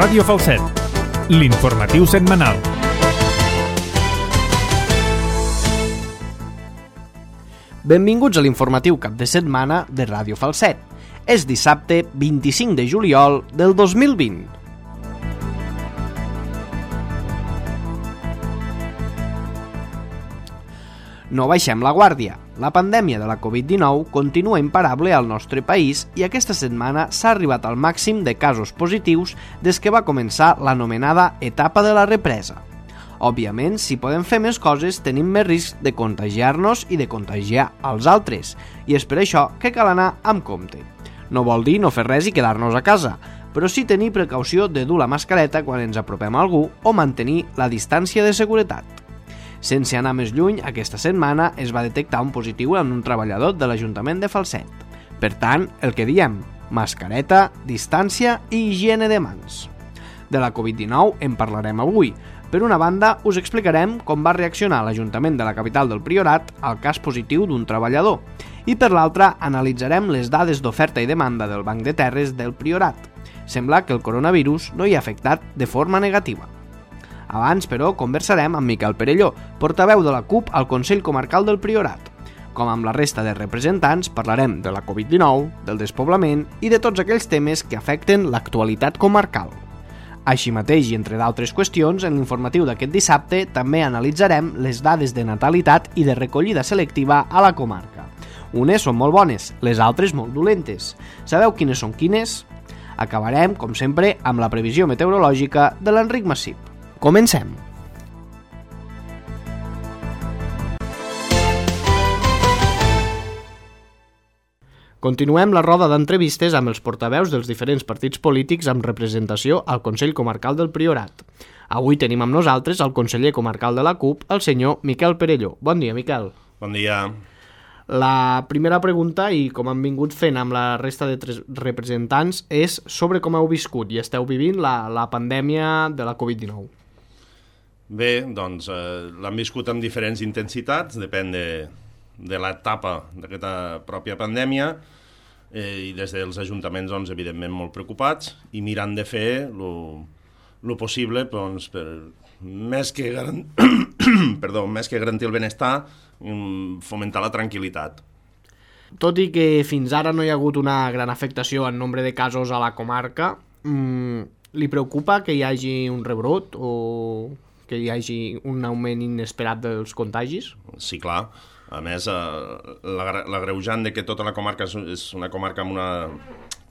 Ràdio Falset, l'informatiu setmanal. Benvinguts a l'informatiu cap de setmana de Ràdio Falset. És dissabte 25 de juliol del 2020. No baixem la guàrdia. La pandèmia de la Covid-19 continua imparable al nostre país i aquesta setmana s'ha arribat al màxim de casos positius des que va començar l'anomenada etapa de la represa. Òbviament, si podem fer més coses, tenim més risc de contagiar-nos i de contagiar als altres, i és per això que cal anar amb compte. No vol dir no fer res i quedar-nos a casa, però sí tenir precaució de dur la mascareta quan ens apropem a algú o mantenir la distància de seguretat. Sense anar més lluny, aquesta setmana es va detectar un positiu en un treballador de l'Ajuntament de Falset. Per tant, el que diem, mascareta, distància i higiene de mans. De la Covid-19 en parlarem avui. Per una banda, us explicarem com va reaccionar l'Ajuntament de la capital del Priorat al cas positiu d'un treballador. I per l'altra, analitzarem les dades d'oferta i demanda del Banc de Terres del Priorat. Sembla que el coronavirus no hi ha afectat de forma negativa. Abans, però, conversarem amb Miquel Perelló, portaveu de la CUP al Consell Comarcal del Priorat. Com amb la resta de representants, parlarem de la Covid-19, del despoblament i de tots aquells temes que afecten l'actualitat comarcal. Així mateix, i entre d'altres qüestions, en l'informatiu d'aquest dissabte també analitzarem les dades de natalitat i de recollida selectiva a la comarca. Unes són molt bones, les altres molt dolentes. Sabeu quines són quines? Acabarem, com sempre, amb la previsió meteorològica de l'Enric Massip. Comencem! Continuem la roda d'entrevistes amb els portaveus dels diferents partits polítics amb representació al Consell Comarcal del Priorat. Avui tenim amb nosaltres el conseller comarcal de la CUP, el senyor Miquel Perelló. Bon dia, Miquel. Bon dia. La primera pregunta, i com han vingut fent amb la resta de representants, és sobre com heu viscut i esteu vivint la pandèmia de la Covid-19. Bé, doncs l'hem viscut amb diferents intensitats, depèn de l'etapa d'aquesta pròpia pandèmia, i des dels ajuntaments, doncs, evidentment, molt preocupats i mirant de fer el possible doncs, per més que garantir el benestar, fomentar la tranquil·litat. Tot i que fins ara no hi ha hagut una gran afectació en nombre de casos a la comarca, li preocupa que hi hagi un rebrot o que hi hagi un augment inesperat dels contagis? Sí, clar. A més, l'agreujant de que tota la comarca és una comarca amb una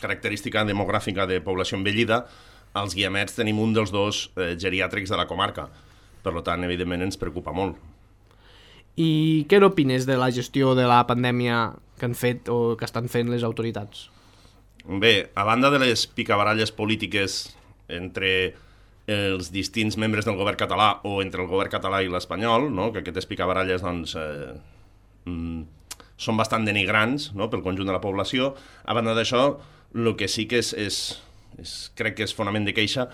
característica demogràfica de població envellida, als Guiamets tenim un dels dos geriàtrics de la comarca. Per tant, evidentment, ens preocupa molt. I què n'opines de la gestió de la pandèmia que han fet o que estan fent les autoritats? Bé, a banda de les picabaralles polítiques entre els distints membres del govern català o entre el govern català i l'espanyol, no? Que aquestes picabaralles doncs, són bastant denigrants, no? Pel conjunt de la població. A banda d'això, el que sí que crec que és fonament de queixa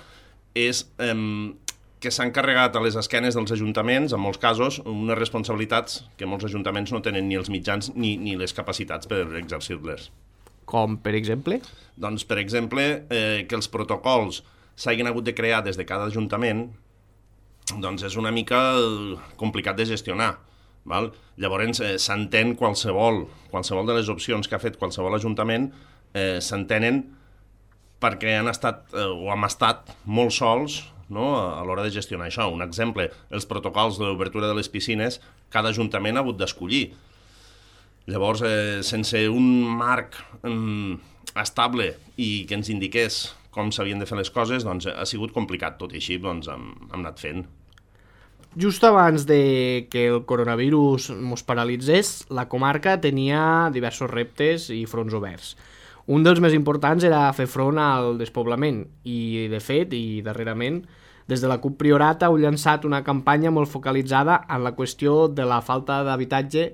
és que s'han carregat a les esquenes dels ajuntaments, en molts casos, unes responsabilitats que molts ajuntaments no tenen ni els mitjans ni les capacitats per exercir-les. Com, per exemple? Doncs, per exemple, que els protocols s'hagin hagut de crear des de cada ajuntament, doncs és una mica complicat de gestionar. Val? Llavors, s'entén qualsevol de les opcions que ha fet qualsevol ajuntament, s'entenen perquè han estat o hem estat molt sols, no? A l'hora de gestionar això. Un exemple, els protocols d'obertura de les piscines, cada ajuntament ha hagut d'escollir. Llavors, sense un marc estable i que ens indiqués com s'havien de fer les coses, doncs ha sigut complicat. Tot i així, doncs, hem anat fent. Just abans de que el coronavirus ens paralitzés, la comarca tenia diversos reptes i fronts oberts. Un dels més importants era fer front al despoblament i, de fet, i darrerament, des de la CUP Priorat heu llançat una campanya molt focalitzada en la qüestió de la falta d'habitatge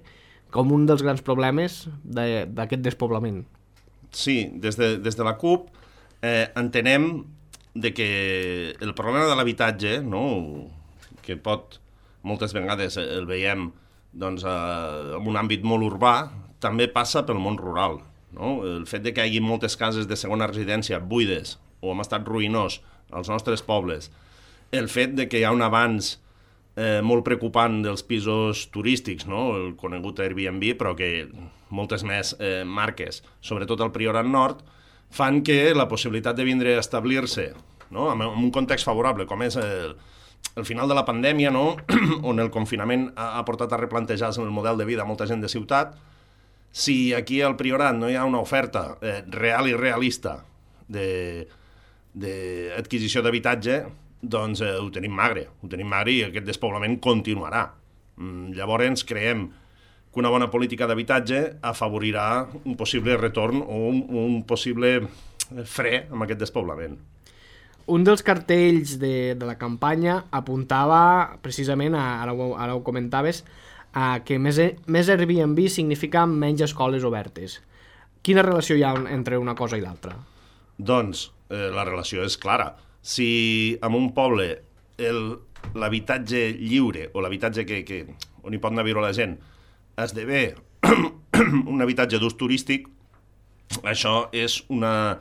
com un dels grans problemes d'aquest despoblament. Sí, des de la CUP entenem que el problema de l'habitatge, no, que moltes vegades el veiem doncs, en un àmbit molt urbà, també passa pel món rural. No? El fet de que hi hagi moltes cases de segona residència buides o en estat ruïnós als nostres pobles, el fet de que hi ha un avanç molt preocupant dels pisos turístics, no? El conegut Airbnb, però que moltes més marques, sobretot al Priorat Nord, fan que la possibilitat de vindre a establir-se, no? En un context favorable, com és el final de la pandèmia, no? On el confinament ha portat a replantejar-se el model de vida a molta gent de ciutat. Si aquí al Priorat no hi ha una oferta real i realista d'adquisició d'habitatge, doncs ho tenim magre i aquest despoblament continuarà. Llavors creiem que una bona política d'habitatge afavorirà un possible retorn o un possible fre amb aquest despoblament. Un dels cartells de la campanya apuntava precisament, ara ho comentaves, que més Airbnb significa menys escoles obertes. Quina relació hi ha entre una cosa i l'altra? Doncs la relació és clara. Si en un poble l'habitatge lliure o l'habitatge on hi pot anar a viure la gent esdevé un habitatge d'ús turístic, això és una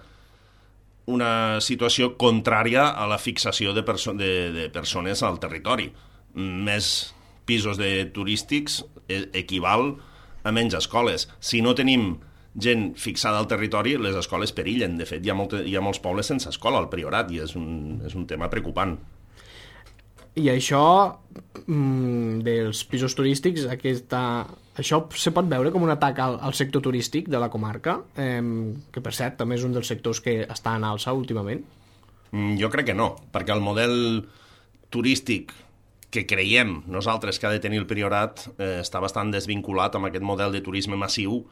situació contrària a la fixació de persones al territori. Més pisos turístics equival a menys escoles. Si no tenim gent fixada al territori, les escoles perillen. De fet, hi ha molts pobles sense escola al Priorat i és un tema preocupant. I això dels pisos turístics, això se pot veure com un atac al sector turístic de la comarca, que per cert també és un dels sectors que està en alça últimament? Jo crec que no, perquè el model turístic que creiem nosaltres que ha de tenir el Priorat està bastant desvinculat amb aquest model de turisme massiu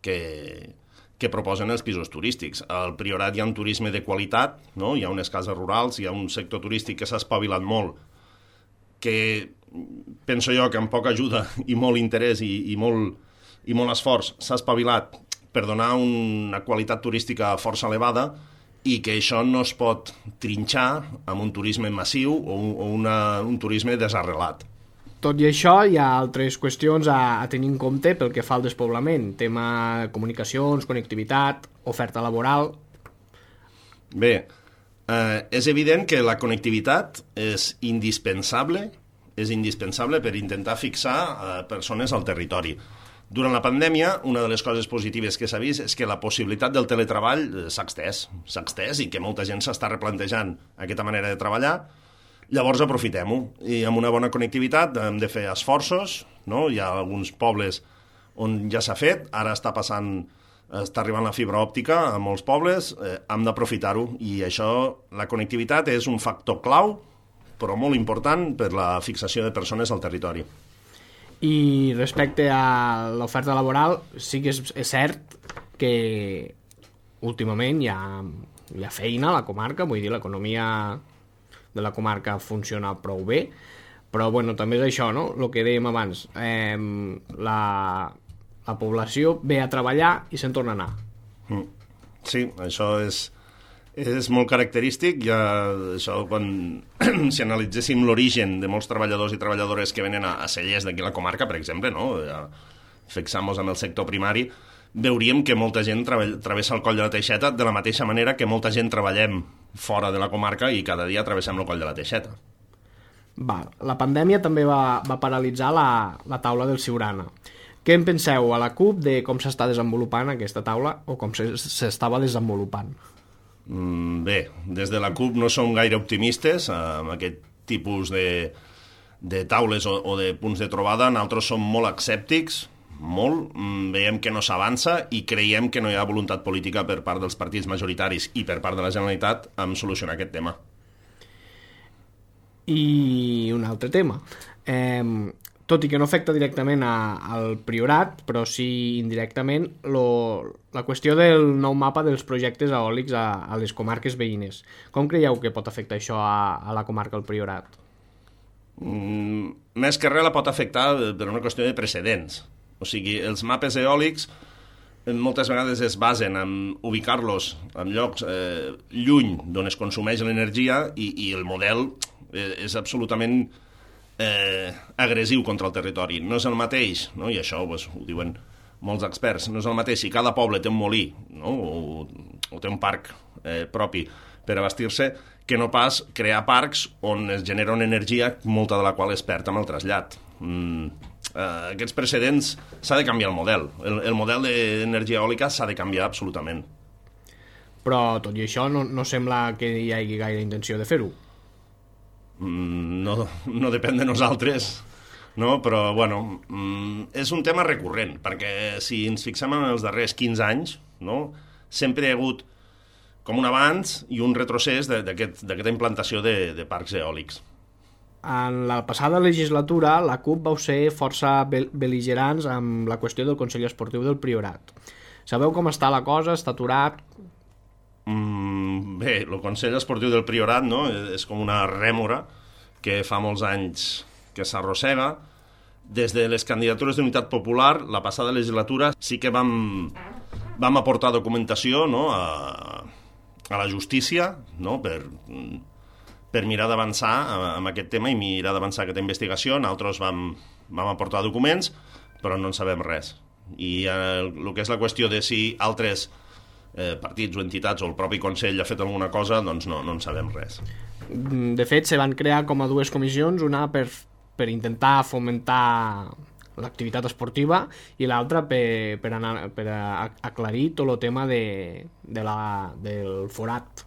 que proposen els pisos turístics. Al Priorat hi ha un turisme de qualitat, no? Hi ha unes cases rurals, hi ha un sector turístic que s'ha espavilat molt, que penso jo que amb poca ajuda i molt interès i molt esforç s'ha espavilat per donar una qualitat turística força elevada i que això no es pot trinxar amb un turisme massiu o un turisme desarrelat. Tot i això, hi ha altres qüestions a tenir en compte pel que fa al despoblament. Tema comunicacions, connectivitat, oferta laboral... Bé, és evident que la connectivitat és indispensable per intentar fixar persones al territori. Durant la pandèmia, una de les coses positives que s'ha vist és que la possibilitat del teletreball s'ha extès i que molta gent s'està replantejant aquesta manera de treballar. Llavors aprofitem-ho, i amb una bona connectivitat hem de fer esforços, no? Hi ha alguns pobles on ja s'ha fet, ara està arribant la fibra òptica a molts pobles, hem d'aprofitar-ho, i això, la connectivitat és un factor clau, però molt important per la fixació de persones al territori. I respecte a l'oferta laboral, sí que és cert que últimament hi ha feina a la comarca, vull dir, l'economia de la comarca funciona prou bé, però bueno, també és això, no? El que dèiem abans, la població ve a treballar i se'n torna a anar. Sí, això és molt característic. Ja, això, si analitzéssim l'origen de molts treballadors i treballadores que venen a Cellers d'aquí a la comarca, per exemple, no? Ja, fixem-nos en el sector primari, veuríem que molta gent travessa el coll de la Teixeta de la mateixa manera que molta gent treballem fora de la comarca i cada dia travessem el coll de la Teixeta. La pandèmia també va paralitzar la taula del Siurana. Què en penseu a la CUP de com s'està desenvolupant aquesta taula o com s'estava desenvolupant? Bé, des de la CUP no som gaire optimistes amb aquest tipus de taules o de punts de trobada. Nosaltres som molt escèptics, veiem que no s'avança i creiem que no hi ha voluntat política per part dels partits majoritaris i per part de la Generalitat en solucionar aquest tema. I un altre tema, tot i que no afecta directament al Priorat, però sí indirectament, la qüestió del nou mapa dels projectes eòlics a les comarques veïnes. Com creieu que pot afectar això a la comarca del Priorat? Més que res la pot afectar per una qüestió de precedents. O sigui, els mapes eòlics moltes vegades es basen en ubicar-los en llocs lluny d'on es consumeix l'energia i el model és absolutament agressiu contra el territori. No és el mateix, no? I això ho diuen molts experts, no és el mateix si cada poble té un molí, no? o té un parc propi per abastir-se, que no pas crear parcs on es genera una energia, molta de la qual es perd amb el trasllat. Aquests precedents s'ha de canviar el model. El model d'energia eòlica s'ha de canviar absolutament. Però tot i això no sembla que hi hagi gaire intenció de fer-ho. No depèn de nosaltres, no? Però bueno, és un tema recurrent, perquè si ens fixem en els darrers 15 anys, no? Sempre hi ha hagut com un abans i un retrocés d'aquesta implantació de parcs eòlics. En la passada legislatura, la CUP vau ser força bel·ligerants amb la qüestió del Consell Esportiu del Priorat. Sabeu com està la cosa? Està aturat? Bé, el Consell Esportiu del Priorat, no? És com una rèmora que fa molts anys que s'arrossega. Des de les candidatures d'Unitat Popular, la passada legislatura sí que vam aportar documentació, no? a la justícia, no? per mirar d'avançar amb aquest tema i mirar d'avançar aquesta investigació. Nosaltres vam aportar documents, però no en sabem res. I el que és la qüestió de si altres partits o entitats o el propi Consell ha fet alguna cosa, doncs no en sabem res. De fet, se van crear com a dues comissions, una per intentar fomentar l'activitat esportiva i l'altra per aclarir tot el tema del forat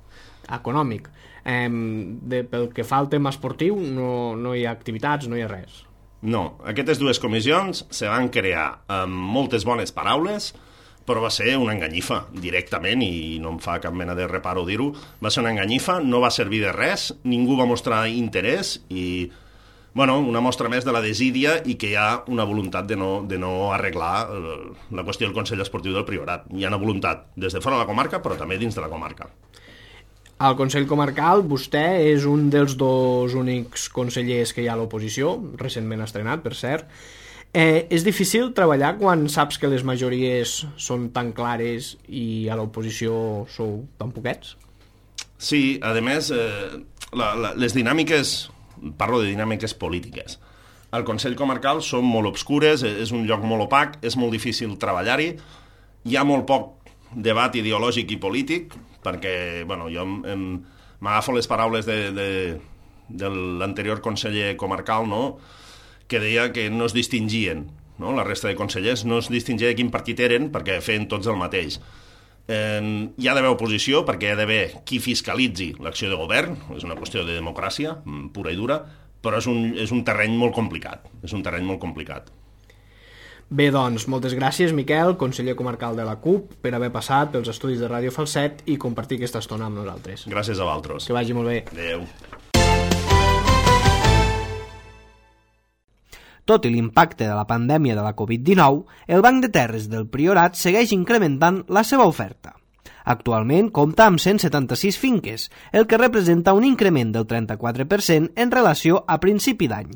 econòmic. Pel que fa al tema esportiu no hi ha activitats, no hi ha res. No, aquestes dues comissions se van crear amb moltes bones paraules, però va ser una enganyifa directament, i no em fa cap mena de reparo dir-ho. Va ser una enganyifa, no va servir de res, ningú va mostrar interès i una mostra més de la desídia i que hi ha una voluntat de no arreglar la qüestió del Consell Esportiu del Priorat. Hi ha una voluntat des de fora de la comarca, però també dins de la comarca. Al Consell Comarcal, vostè és un dels dos únics consellers que hi ha a l'oposició, recentment estrenat, per cert. És difícil treballar quan saps que les majories són tan clares i a l'oposició sou tan poquets? Sí, a més, les dinàmiques... Parlo de dinàmiques polítiques. Al Consell Comarcal són molt obscures, és un lloc molt opac, és molt difícil treballar-hi, hi ha molt poc debat ideològic i polític, perquè jo m'agafo les paraules de l'anterior conseller comarcal, no?, que deia que no es distingien, no?, la resta de consellers no es distingia de quin partit eren perquè feien tots el mateix. Hi ha d'haver oposició perquè hi ha d'haver qui fiscalitzi l'acció de govern, és una qüestió de democràcia pura i dura, però és un terreny molt complicat. Bé, doncs, moltes gràcies, Miquel, conseller comarcal de la CUP, per haver passat pels estudis de Ràdio Falset i compartir aquesta estona amb nosaltres. Gràcies a vosaltres. Que vagi molt bé. Adéu. Tot i l'impacte de la pandèmia de la Covid-19, el Banc de Terres del Priorat segueix incrementant la seva oferta. Actualment compta amb 176 finques, el que representa un increment del 34% en relació a principi d'any.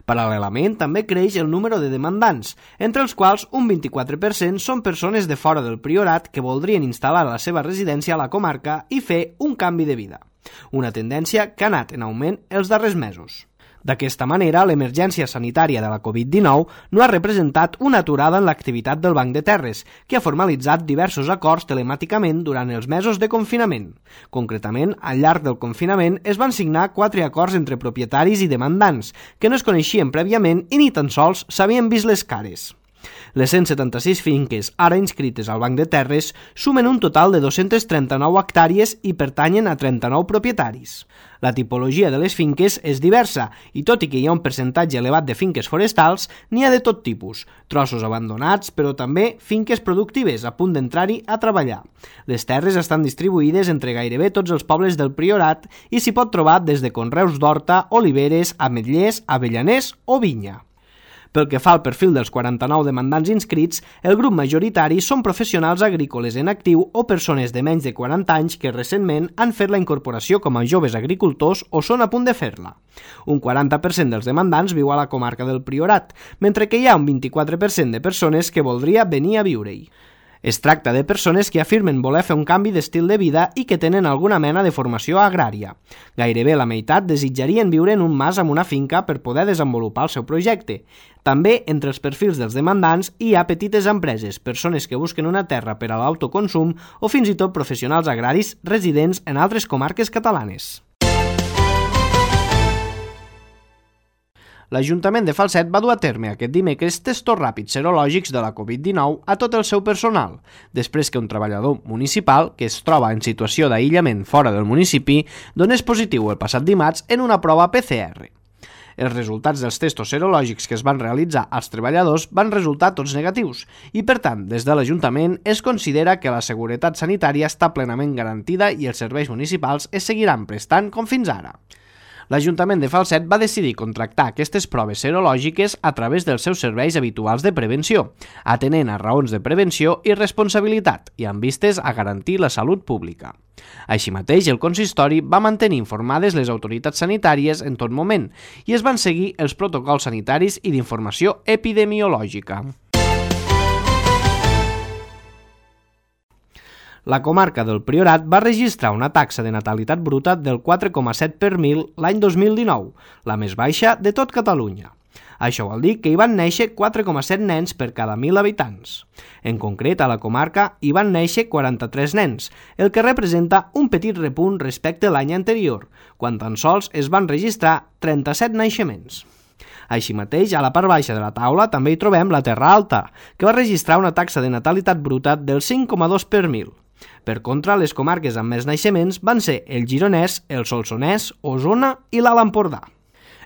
Paral·lelament, també creix el número de demandants, entre els quals un 24% són persones de fora del Priorat que voldrien instal·lar la seva residència a la comarca i fer un canvi de vida. Una tendència que ha anat en augment els darrers mesos. D'aquesta manera, l'emergència sanitària de la Covid-19 no ha representat una aturada en l'activitat del Banc de Terres, que ha formalitzat diversos acords telemàticament durant els mesos de confinament. Concretament, al llarg del confinament es van signar 4 acords entre propietaris i demandants, que no es coneixien prèviament i ni tan sols s'havien vist les cares. Les 176 finques ara inscrites al Banc de Terres sumen un total de 239 hectàrees i pertanyen a 39 propietaris. La tipologia de les finques és diversa i tot i que hi ha un percentatge elevat de finques forestals, n'hi ha de tot tipus, trossos abandonats, però també finques productives a punt d'entrar-hi a treballar. Les terres estan distribuïdes entre gairebé tots els pobles del Priorat i s'hi pot trobar des de conreus d'horta, oliveres, ametllers, avellaners o vinya. Pel que fa al perfil dels 49 demandants inscrits, el grup majoritari són professionals agrícoles en actiu o persones de menys de 40 anys que recentment han fet la incorporació com a joves agricultors o són a punt de fer-la. Un 40% dels demandants viu a la comarca del Priorat, mentre que hi ha un 24% de persones que voldria venir a viure-hi. Es tracta de persones que afirmen voler fer un canvi d'estil de vida i que tenen alguna mena de formació agrària. Gairebé la meitat desitjarien viure en un mas amb una finca per poder desenvolupar el seu projecte. També, entre els perfils dels demandants, hi ha petites empreses, persones que busquen una terra per a l'autoconsum o fins i tot professionals agraris residents en altres comarques catalanes. L'Ajuntament de Falset va dur a terme aquest dimecres testos ràpids serològics de la Covid-19 a tot el seu personal, després que un treballador municipal, que es troba en situació d'aïllament fora del municipi, donés positiu el passat dimarts en una prova PCR. Els resultats dels testos serològics que es van realitzar als treballadors van resultar tots negatius i, per tant, des de l'Ajuntament es considera que la seguretat sanitària està plenament garantida i els serveis municipals es seguiran prestant com fins ara. L'Ajuntament de Falset va decidir contractar aquestes proves serològiques a través dels seus serveis habituals de prevenció, atenent a raons de prevenció i responsabilitat i amb vistes a garantir la salut pública. Així mateix, el consistori va mantenir informades les autoritats sanitàries en tot moment i es van seguir els protocols sanitaris i d'informació epidemiològica. La comarca del Priorat va registrar una taxa de natalitat bruta del 4,7 per mil l'any 2019, la més baixa de tot Catalunya. Això vol dir que hi van néixer 4,7 nens per cada 1.000 habitants. En concret, a la comarca hi van néixer 43 nens, el que representa un petit repunt respecte a l'any anterior, quan tan sols es van registrar 37 naixements. Així mateix, a la part baixa de la taula també hi trobem la Terra Alta, que va registrar una taxa de natalitat bruta del 5,2 per mil. Per contra, les comarques amb més naixements van ser el Gironès, el Solsonès, Osona i l'Alt Empordà.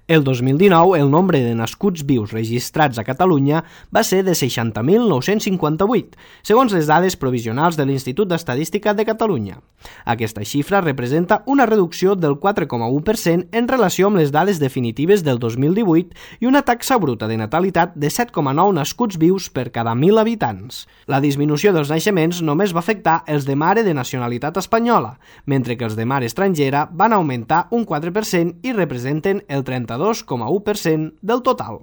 El 2019, el nombre de nascuts vius registrats a Catalunya va ser de 60.958, segons les dades provisionals de l'Institut d'Estadística de Catalunya. Aquesta xifra representa una reducció del 4,1% en relació amb les dades definitives del 2018 i una taxa bruta de natalitat de 7,9 nascuts vius per cada 1.000 habitants. La disminució dels naixements només va afectar els de mare de nacionalitat espanyola, mentre que els de mare estrangera van augmentar un 4% i representen el 32,1% del total.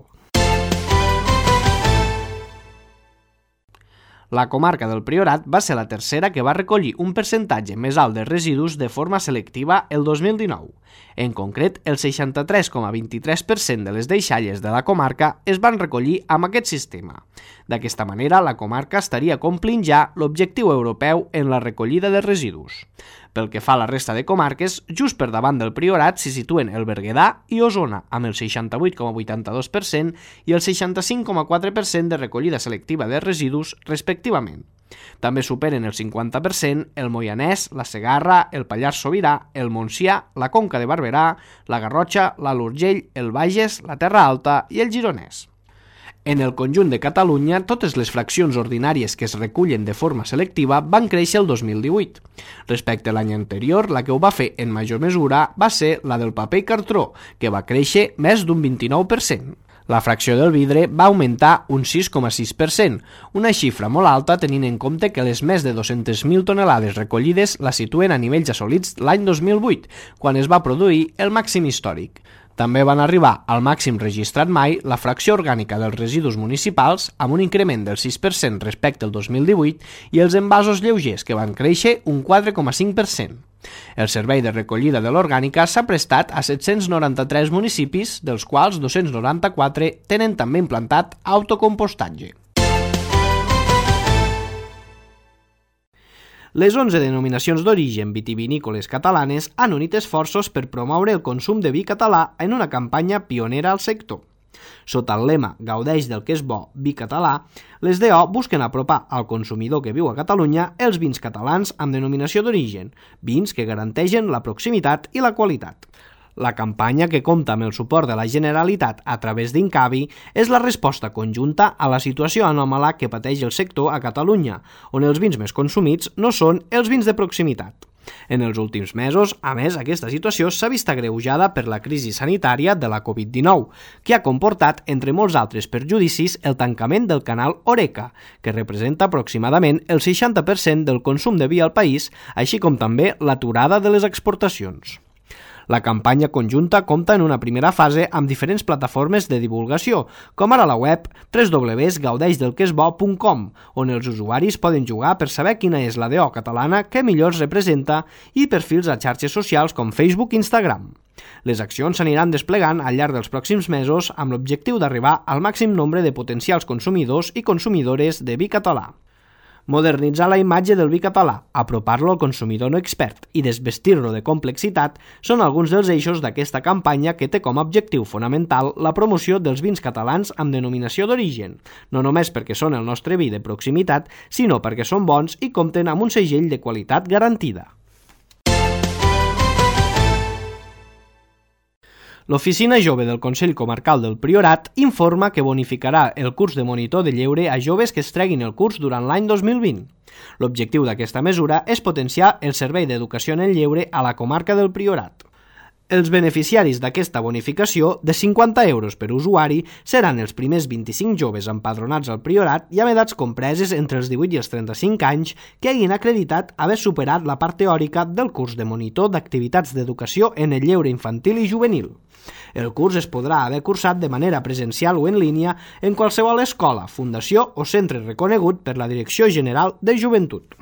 La comarca del Priorat va ser la tercera que va recollir un percentatge més alt de residus de forma selectiva el 2019. En concret, el 63,23% de les deixalles de la comarca es van recollir amb aquest sistema. D'aquesta manera, la comarca estaria complint ja l'objectiu europeu en la recollida de residus. Pel que fa a la resta de comarques, just per davant del Priorat s'hi situen el Berguedà i Osona, amb el 68,82% i el 65,4% de recollida selectiva de residus, respectivament. També superen el 50% el Moianès, la Segarra, el Pallars Sobirà, el Montsià, la Conca de Barberà, la Garrotxa, l'Alt Urgell, el Bages, la Terra Alta i el Gironès. En el conjunt de Catalunya, totes les fraccions ordinàries que es recullen de forma selectiva van créixer el 2018. Respecte a l'any anterior, la que ho va fer en major mesura va ser la del paper i cartró, que va créixer més d'un 29%. La fracció del vidre va augmentar un 6,6%, una xifra molt alta tenint en compte que les més de 200.000 tonelades recollides la situen a nivells assolits l'any 2008, quan es va produir el màxim històric. També van arribar al màxim registrat mai la fracció orgànica dels residus municipals, amb un increment del 6% respecte al 2018, i els envasos lleugers, que van créixer un 4,5%. El servei de recollida de l'orgànica s'ha prestat a 793 municipis, dels quals 294 tenen també implantat autocompostatge. Les 11 denominacions d'origen vitivinícoles catalanes han unit esforços per promoure el consum de vi català en una campanya pionera al sector. Sota el lema «Gaudeix del que és bo, vi català», les DO busquen apropar al consumidor que viu a Catalunya els vins catalans amb denominació d'origen, vins que garanteixen la proximitat i la qualitat. La campanya, que compta amb el suport de la Generalitat a través d'Incavi, és la resposta conjunta a la situació anòmala que pateix el sector a Catalunya, on els vins més consumits no són els vins de proximitat. En els últims mesos, a més, aquesta situació s'ha vist agreujada per la crisi sanitària de la Covid-19, que ha comportat, entre molts altres perjudicis, el tancament del canal Horeca, que representa aproximadament el 60% del consum de vi al país, així com també l'aturada de les exportacions. La campanya conjunta compta en una primera fase amb diferents plataformes de divulgació, com ara la web www.gaudeixdelquesbo.com, on els usuaris poden jugar per saber quina és la DO catalana que millor es representa, i perfils a xarxes socials com Facebook i Instagram. Les accions s'aniran desplegant al llarg dels pròxims mesos amb l'objectiu d'arribar al màxim nombre de potencials consumidors i consumidores de vi català. Modernitzar la imatge del vi català, apropar-lo al consumidor no expert i desvestir-lo de complexitat són alguns dels eixos d'aquesta campanya que té com a objectiu fonamental la promoció dels vins catalans amb denominació d'origen, no només perquè són el nostre vi de proximitat, sinó perquè són bons i compten amb un segell de qualitat garantida. L'Oficina Jove del Consell Comarcal del Priorat informa que bonificarà el curs de monitor de lleure a joves que es treguin el curs durant l'any 2020. L'objectiu d'aquesta mesura és potenciar el servei d'educació en el lleure a la comarca del Priorat. Els beneficiaris d'aquesta bonificació, de 50 euros per usuari, seran els primers 25 joves empadronats al Priorat i amb edats compreses entre els 18 i els 35 anys que hagin acreditat haver superat la part teòrica del curs de monitor d'activitats d'educació en el lleure infantil i juvenil. El curs es podrà haver cursat de manera presencial o en línia en qualsevol escola, fundació o centre reconegut per la Direcció General de Joventut.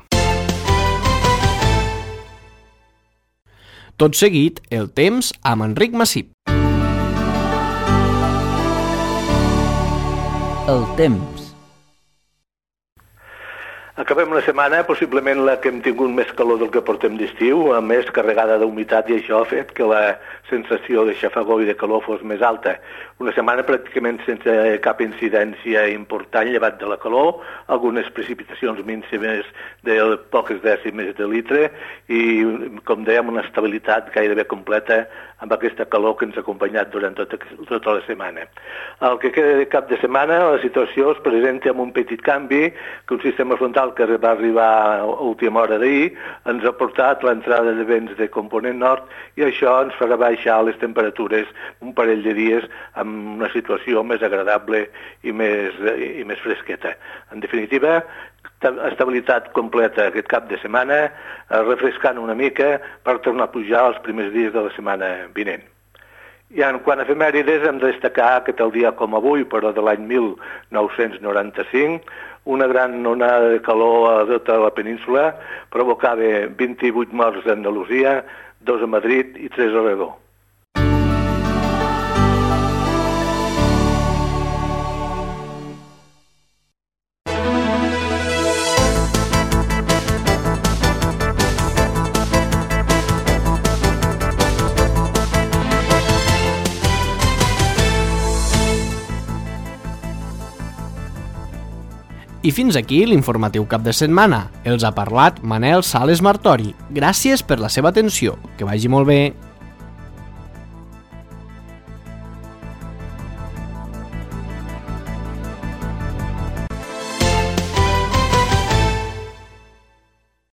Tot seguit, el temps amb Enric Massip. El temps. Acabem la setmana, possiblement la que hem tingut més calor del que portem d'estiu, a més carregada d'humitat, i això ha fet que la sensació de xafagor i de calor fos més alta. Una setmana pràcticament sense cap incidència important llevat de la calor, algunes precipitacions mínimes de poques dècimes de litre i, com dèiem, una estabilitat gairebé completa amb aquesta calor que ens ha acompanyat durant tota la setmana. El que queda de cap de setmana, la situació es presenta amb un petit canvi, que un sistema frontal que va arribar a última hora d'ahir ens ha portat l'entrada de vents de component nord i això ens farà baixar les temperatures un parell de dies amb una situació més agradable i més fresqueta. En definitiva, estabilitat completa aquest cap de setmana, refrescant una mica per tornar a pujar els primers dies de la setmana vinent. I en quant a efemèrides, hem de destacar que tal dia com avui, però de l'any 1995, una gran onada de calor a tota la península provocava 28 morts a Andalusia, 2 a Madrid i 3 a Aragó. I fins aquí l'informatiu cap de setmana. Els ha parlat Manel Sales Martori. Gràcies per la seva atenció. Que vagi molt bé.